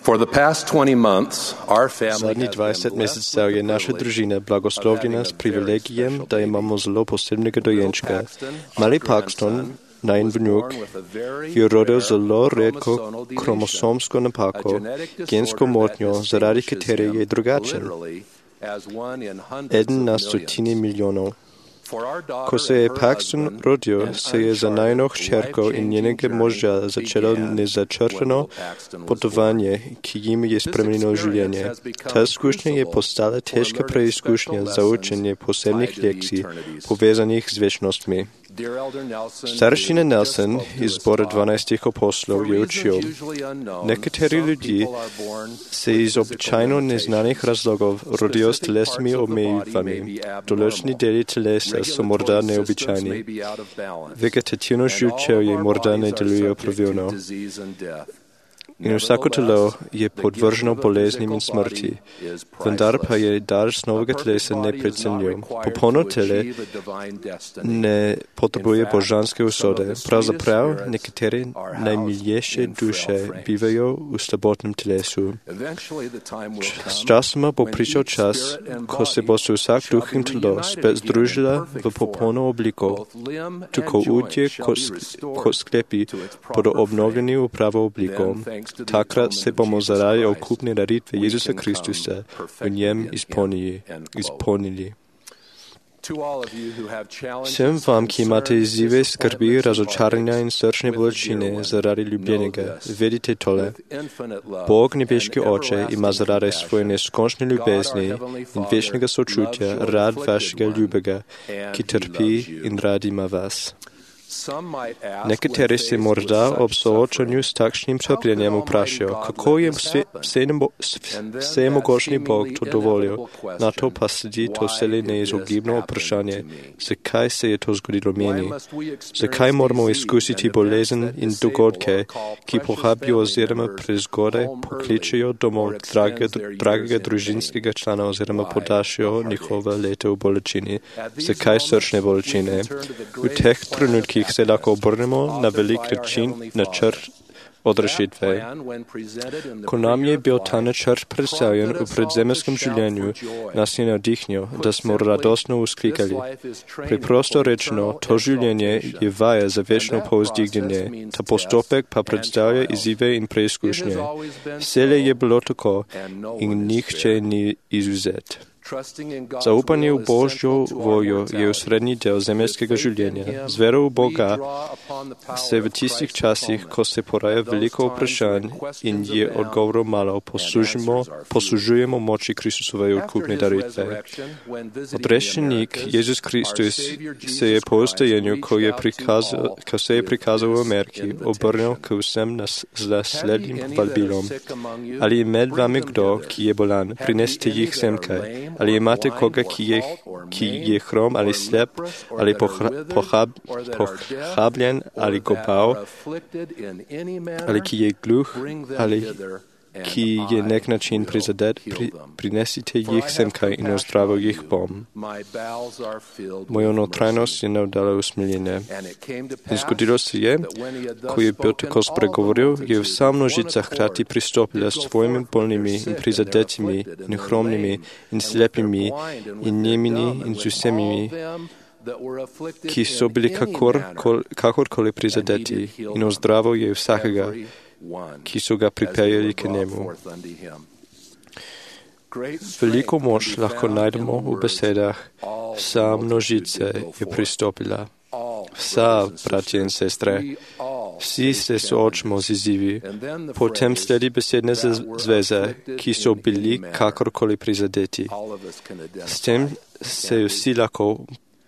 For the past 20 months, our family Zadnjih has 20 been blessed mesecev je naša družina blagoslovljena s privilegijem, da imamo zelo posebnega dojenčka. Mali Paxton, najin vnuk, je rodil zelo redko kromosomsko napako, gensko motnjo, zaradi katere je drugačen. Eden na stotine milijonov. Ko se je Paxton rodil, se je za najino hčerko in njenega moža začelo nezačrtano potovanje, ki jim je spremenilo življenje. Ta izkušnja je postala težka preizkušnja za učenje posebnih lekcij, povezanih z večnostmi. Staršina Nelson iz zbora 12 aposlov je učil: nekateri ljudje se iz običajno neznanih razlogov rodijo s telesnimi omejitvami. Določeni deli telesa so morda neobičajni. Vegetativno živčevje morda ne delujejo pravilno. In vsako telo je podvrženo boleznim in smrti, vendar pa je dar novega telesa neprecenljiv. Popolno tele ne potrebuje božanske usode. Pravzaprav nekatere najmilejše duše bivajo v slabotnem telesu. Sčasoma bo prišel čas, ko se bo se vsak duh in telo spet združila v popolno obliko. Tako udje kot sklepi bodo obnovljeni v pravo obliko. Takrat se bomo zaradi okupne daritve Jezusa Kristusa v njem izpolnili. Vsem vam, ki imate izzive, skrbi, razočaranja in srčne bolečine zaradi ljubljenega, vedite tole. Bog, nebeški Oče, ima zaradi svoje neskončne ljubezni in večnega sočutja rad vašega ljubega, ki trpi in rad ima vas. Nekateri se morda ob soočanju s takšnim trpljenjem vprašajo, kako je vsemogočni Bog to dovolil. Na to pa sledi to vselej neizogibno vprašanje, zakaj se je to zgodilo meni. Zakaj moramo izkusiti bolezen in dogodke, ki pohabijo oziroma prezgodaj pokličejo domov dragega družinskega člana oziroma podaljšajo njihova leta v bolečini. Zakaj srčne bolečine? V teh trenutkih se lahko obrnemo na velik načrt odrešitve. Ko nam je bil ta načrt predstavljen v predzemeljskem življenju, nas je navdihnil, da smo radostno vzklikali. Preprosto rečeno, to življenje je vaja za večno povzdignjenje, ta postopek pa predstavlja izzive in preizkušnje. Vselej je bilo tako in nihče ni izvzet. Zaupanje v Božjo voljo je v srednji del zemeljskega življenja. Z vero v Boga se v tistih časih, ko se poraja veliko vprašanj in je odgovorov malo, poslužujemo moči Kristusove odkupne daritve. Odrešenik Jezus Kristus se je po vstajenju, ko se je prikazal v Ameriki, obrnil k vsem naslednjim vabilom. Ali je med vami kdo, ki je bolan, prineste jih semkaj. Ali imate koga, ki je hrom ali slep, ali pohabljen ali gobav, ali ki je gluh, ali ki je nek način prizadet, prinesite jih semkaj in ozdravil jih bom. Mojo notranjost je navdala usmiljenje. In zgodilo se je, ko je bil tako spregovoril, je vsa množica hkrati pristopila s svojimi bolnimi in prizadetimi in hromnimi in slepimi in nemini in z vsemi, ki so bili kakorkoli prizadeti in ozdravil je vsakega, ki so ga pripeljali k njemu. Veliko moč lahko najdemo v besedah, vsa množica je pristopila. Vsa, bratje in sestre, vsi se soočamo z izzivi. Potem sledi besedne zveze, ki so bili kakorkoli prizadeti. S tem se vsi lahko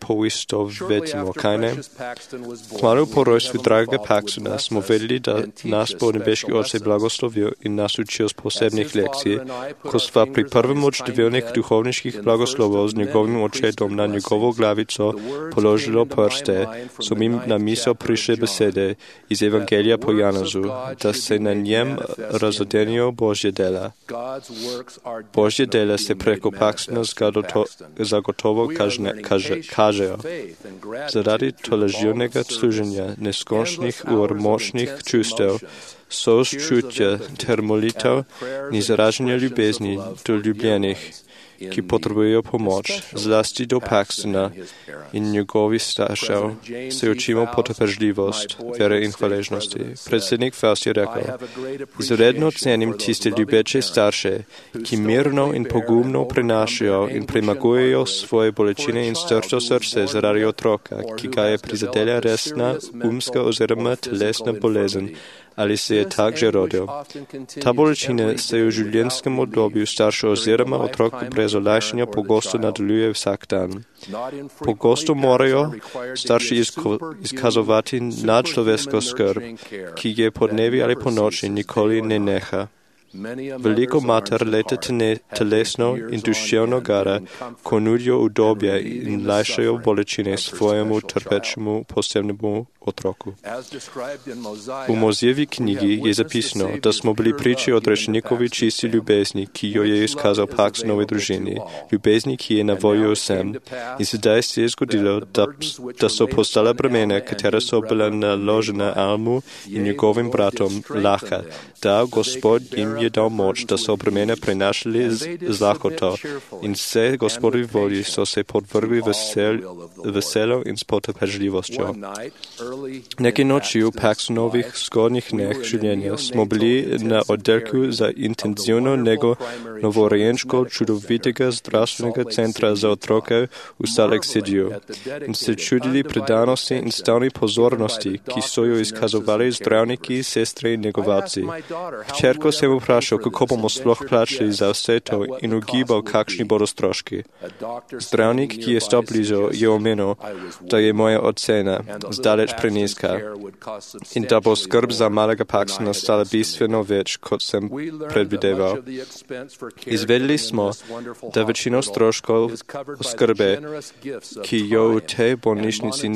poistovetimo, kaj ne? Kmalu po rojstvu dragega Paxtona smo vedeli, da nas bo nebeški Oče blagoslovil in nas učil z posebnih lekcij. Ko sva pri prvem od številnih duhovniških blagoslovov z njegovim očetom na njegovo glavico položilo prste, so mi na misel prišle besede iz Evangelija po Janazu, da se na njem razodenijo Božje dela. Božje dela se preko Paxtona zagotovo kažejo. Zaradi tolaživnega služenja, neskončnih ur močnih čustev, sočutja ter molitev in izražanja ljubezni do ljubljenih, ki potrebujejo pomoč, zlasti do Paxtona in njegovih staršev, se učimo potrpežljivost, vere in hvaležnosti. Predsednik Faust je rekel: izredno cenim tiste ljubeče starše, ki mirno in pogumno prenašajo in premagujejo svoje bolečine in strto srce zaradi otroka, ki ga je prizadela resna umska oziroma telesna bolezen, ali se je tak že rodil. Ta bolečina se v življenjskem obdobju starša oziroma otrok brez olajšanja pogosto nadaljuje vsak dan. Pogosto morajo starši izkazovati nadčloveško skrb, ki je po dnevi ali po noči nikoli ne neha. Veliko mater leta telesno in duševno gara, ko nudijo udobje in lajšajo bolečine svojemu trpečemu posebnemu otroku. V Mojzejevi knjigi je zapisano, da smo bili priči odrečnikovi čisti ljubezni, ki jo je izkazal Paxtonovi družini, ljubezni, ki je na voljo vsem. In sedaj se je zgodilo, da so postala bremena, katera so bila naložena Almu in njegovim bratom, lahka. Da Gospod jim je dal moč, da so bremena prenašali z lahkoto in vse Gospodovi volji so se podvrgli veselo in s potrpežljivostjo. Nekaj noči v Paxtonovih zgodnjih dneh življenja smo bili na oddelku za intenzivno nego novorojenčkov čudovitega zdravstvenega centra za otroke v Salt Lake Cityju in se čudili predanosti in stalni pozornosti, ki so jo izkazovali zdravniki, sestre in negovalci. Hčerko sem vprašal, kako bomo sploh plačali za vse to in ugibal, kakšni bodo stroški. Zdravnik, ki je stal blizu, je omenil, da je moja ocena zdaleč preniska in da bo skrb za malega Paxtona stala bistveno več, kot sem predvideval. Izvedeli smo, da večino stroškov skrbe, ki jo v tej bolnišnici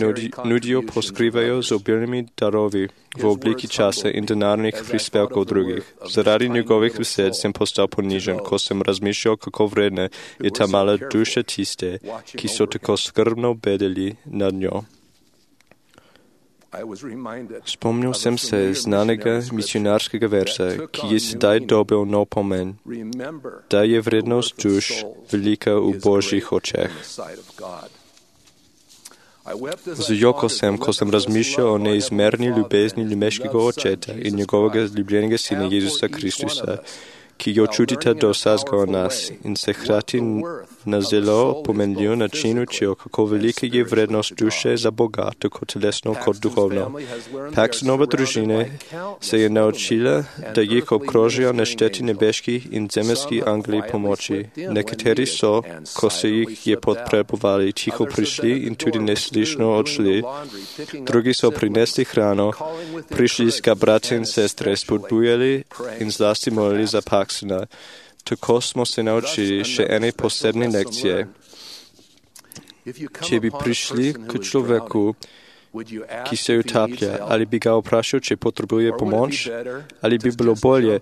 nudijo, poskrivajo z obilnimi darovi v obliki časa in denarnih prispevkov drugih. Zaradi njegovih besed sem postal ponižen, ko sem razmišljal, kako vredna je ta mala duša tiste, ki so tako skrbno bedeli nad njo. Spomnil sem se znanega misionarskega versa, ki je sedaj dobil nov pomen, da je vrednost duš velika v Božjih očeh. Zajokal sem, ko sem razmišljal o neizmerni ljubezni ljubeškega očeta in njegovega ljubljenega sina Jezusa Kristusa, ki jo čutite do vsakega od nas in se hkrati na zelo pomenljiv način učijo, kako velika je vrednost duše za Boga, tako telesno kot duhovno. Paxtonova družina se je naučila, da jih obkrožijo nešteti nebeški in zemeljski angeli pomoči. Nekateri so, ko se jih je potrebovali, tiho prišli in tudi neslišno odšli. Drugi so prinesli hrano, prišli ska brati in sestre, spodbujali in zlasti molili za Paxtona. Tako smo se naučili še ene posebne lekcije. Če bi prišli k človeku, ki se utaplja, ali bi ga vprašal, če potrebuje pomoč, ali bi bilo bolje,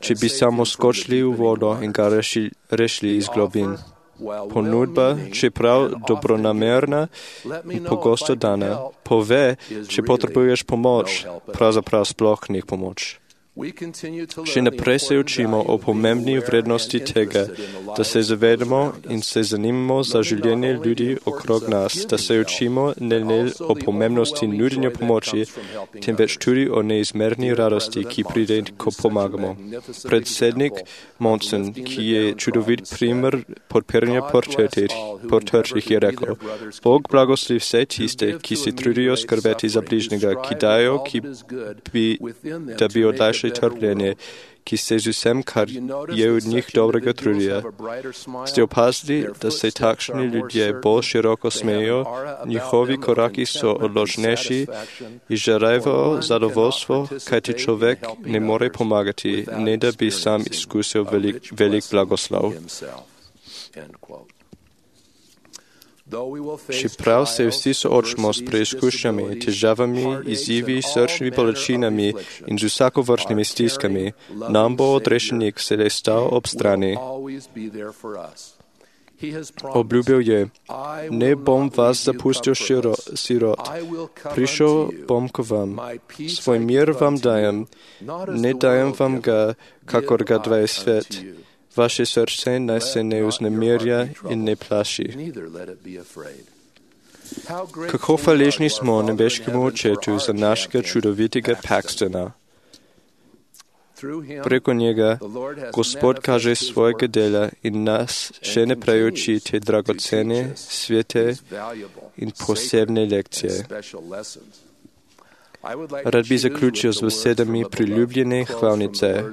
če bi samo skočili v vodo in ga rešili iz globin. Ponudba, čeprav dobronamerna in pogosto dana, pove, če potrebuješ pomoč, pravzaprav sploh ni pomoč. Še naprej se učimo o pomembni vrednosti tega, da se zavedamo in se zanimamo za življenje ljudi okrog nas, da se učimo ne le o pomembnosti nudenja pomoči, temveč tudi o neizmerni radosti, ki pride, ko pomagamo. Predsednik Monson, ki je čudovit primer podpiranja potrčih, je rekel: Bog blagoslovi vse tiste, ki se trudijo skrbeti za bližnjega, ki dajo, da bi odlajšali trpljenje, ki se z vsem, kar je od njih dobrega trudija. Ste opazili, da se takšni ljudje bolj široko smejijo, njihovi koraki so odločnejši, izžarevajo zadovoljstvo, kajti človek ne more pomagati, ne da bi sam izkusil velik blagoslov. Čeprav se vsi soočimo s preizkušnjami, težavami, izzivi, srčnimi bolečinami in z vsakovrstnimi stiskami, nam bo odrešenik sedaj stal ob strani. Obljúbil je, ne bom vás zapustil sirot, prišiel bom k vám, svoj mír vám dajem, nedajem vám ga, kakor ga daje svet. Vaše srdce naj se ne uznemirja in ne plaši. Kako hvaležni smo nebeškemu Očetu za našega čudovitega Paxtona. Preko njega Gospod kaže svojega dela in nas še naprej uči te dragocene, svete in posebne lekcije. Rad bi zaključil z besedami priljubljene hvalnice.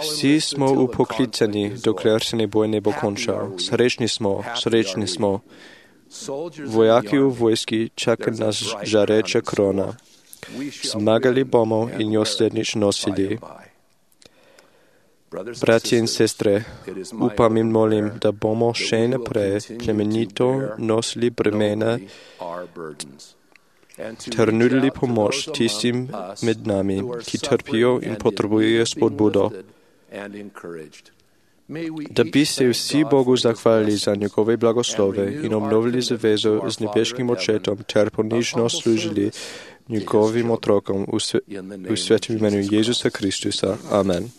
Vsi smo upoklicani, dokler se boj ne bo končal. Srečni smo. Vojaki v vojski čaka nas žareča krona. Zmagali bomo in jo slednjič nosili. Bratje in sestre, upam in molim, da bomo še naprej plemenito nosili bremena ter nudili pomoč tistim med nami, ki trpijo in potrebujejo spodbudo. Da bi se vsi Bogu zahvalili za njegove blagoslove in obnovili zavezo z nebeškim Očetom ter ponižno služili njegovim otrokom v svetem imenu Jezusa Kristusa. Amen.